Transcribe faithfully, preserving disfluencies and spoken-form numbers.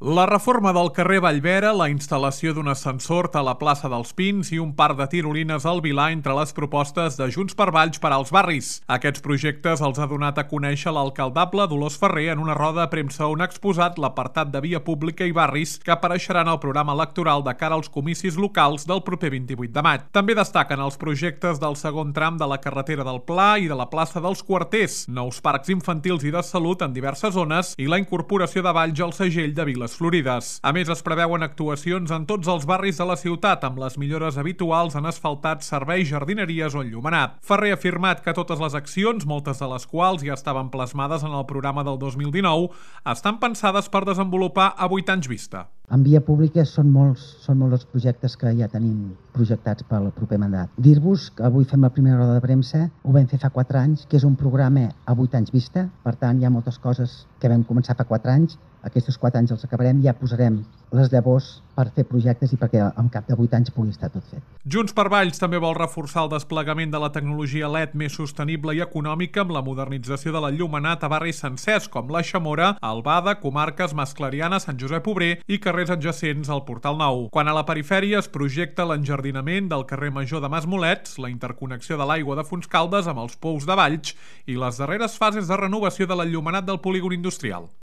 La reforma del carrer Vallvera, la instal·lació d'un ascensor a la plaça dels Pins i un parc de tirolines al Vilar entre les propostes de Junts per Valls per als barris. Aquests projectes els ha donat a conèixer l'alcaldable Dolors Ferrer en una roda de premsa on ha exposat l'apartat de via pública i barris que apareixerà en el programa electoral de cara als comicis locals del proper vint-i-vuit de maig. També destaquen els projectes del segon tram de la carretera del Pla i de la plaça dels Quarters, nous parcs infantils i de salut en diverses zones i la incorporació de Valls al segell de Viles Florides. A més, es preveuen actuacions en tots els barris de la ciutat, amb les millores habituals en asfaltats, serveis, jardineries o enllumenat. Ferrer ha afirmat que totes les accions, moltes de les quals ja estaven plasmades en el programa del dos mil dinou, estan pensades per desenvolupar a vuit anys vista. En via pública són molts, són molts els projectes que ja tenim projectats pel proper mandat. Dir-vos que avui fem la primera roda de premsa, ho vam fer fa quatre anys, que és un programa a vuit anys vista, per tant hi ha moltes coses que vam començar fa quatre anys, aquests quatre anys els acabarem, ja posarem les llavors per fer projectes i perquè en cap de vuit anys pugui estar tot fet. Junts per Valls també vol reforçar el desplegament de la tecnologia L E D més sostenible i econòmica amb la modernització de l'enllumenat a barris sencers com la Xamora, Albada, comarques Masclariana, Sant Josep Obrer i carrers adjacents al Portal Nou. Quan a la perifèria es projecta l'enjardinament del carrer Major de Masmolets, la interconnexió de l'aigua de Fontscaldes amb els pous de Valls i les darreres fases de renovació de l'enllumenat del polígon industrial.